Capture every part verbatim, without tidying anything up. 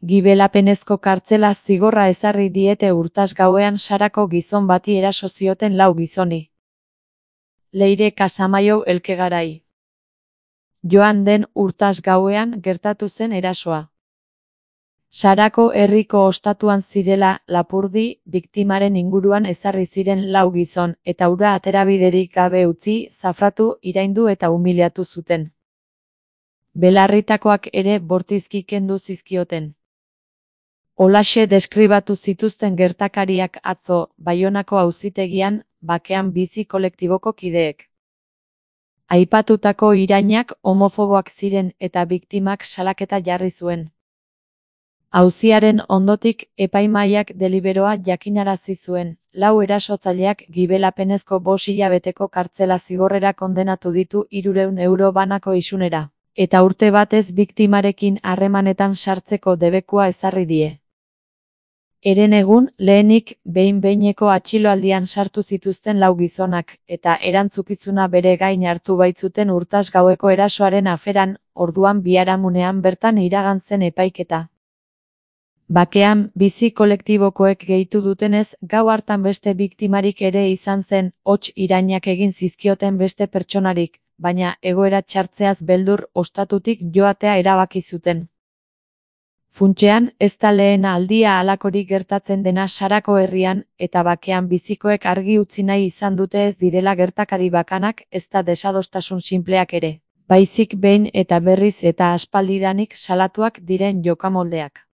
Gibelapenezko kartzela zigorra ezarri diete Urtas gauean Sarako gizon bati eraso zioten lau gizoni. Leire Casamaiu Elkegarai. Joan den Urtas gauean gertatu zen erasoa. Sarako herriko ostatuan zirela, Lapurdi, biktimaren inguruan ezarri ziren lau gizon, eta hura aterabiderik gabe utzi, zafratu, iraindu eta umiliatu zuten. Belarritakoak ere bortizki kendu zizkioten. Holaxe deskribatu zituzten gertakariak atzo, Baionako auzitegian, Bakean Bizi kolektiboko kideek. Aipatutako irainak homofoboak ziren eta biktimak salaketa jarri zuen. Auziaren ondotik, epaimahaiak deliberoa jakinarazi zuen, lau erasotzaileak gibelapenezko bost hilabeteko kartzela zigorrera kondenatu ditu hirurehun euro banako isunera, eta urte batez biktimarekin harremanetan sartzeko debekua ezarri die. Herenegun, lehenik, behin-behineko atxiloaldian sartu zituzten lau gizonak, eta erantzukizuna bere gain hartu baitzuten Urtas gaueko erasoaren aferan, orduan biharamunean bertan iragan zen epaiketa. Bakean Bizi kolektibokoek gehitu dutenez, gau hartan beste biktimarik ere izan zen, hots irainak egin zizkioten beste pertsonarik, baina egoera txartzeaz beldur ostatutik joatea erabaki zuten. Funtsean, ez da lehen aldia halakorik gertatzen dena Sarako herrian, eta Bakean Bizikoek argi utzi nahi izan dute ez direla gertakari bakanak, ez da desadostasun sinpleak ere, baizik behin eta berriz eta aspaldidanik salatuak diren jokamoldeak.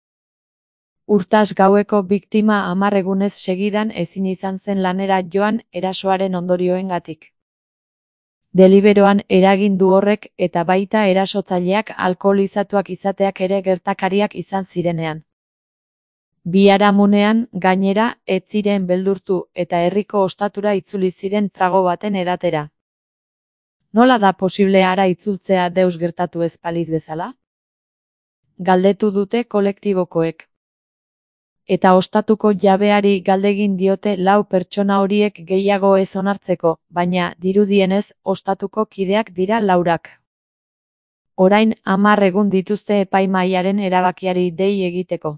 Urtas gaueko biktima hamar egunez segidan ezin izan zen lanera joan erasoaren ondorioengatik. Deliberoan eragin du horrek eta baita erasotzaileak alkoholizatuak izateak ere gertakariak izan zirenean. Biharamunean, gainera, ez ziren beldurtu eta herriko ostatura itzuli ziren trago baten edatera. Nola da posible hara itzultzea deus gertatu ez balitz bezala? Galdetu dute kolektibokoek. Eta ostatuko jabeari galdegin diote lau pertsona horiek gehiago ez onartzeko, baina, dirudienez, ostatuko kideak dira laurak. Orain, hamar egun dituzte epaimahaiaren erabakiari dei egiteko.